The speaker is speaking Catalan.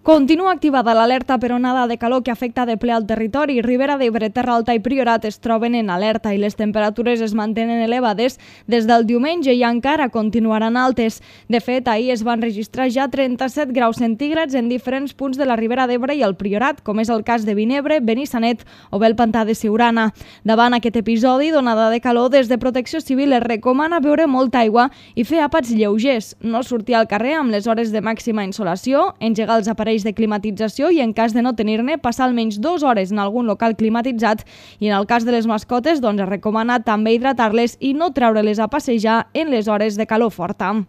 Continua activada l'alerta per onada de calor que afecta de ple al territori. Ribera d'Ebre, Terra Alta i Priorat es troben en alerta i les temperatures es mantenen elevades des del diumenge i encara continuaran altes. De fet, ahir es van registrar ja 37 graus centígrads en diferents punts de la Ribera d'Ebre i el Priorat, com és el cas de Vinebre, Benissanet o bé el Pantà de Siurana. Davant aquest episodi d'onada de calor, des de Protecció Civil es recomana beure molta aigua i fer àpats lleugers, no sortir al carrer amb les hores de màxima insolació, engegar els aparells de climatització i en cas de no tenir-ne, passar almenys 2 hores en algun local climatitzat i en el cas de les mascotes es recomana també hidratar-les i no treure-les a passejar en les hores de calor forta.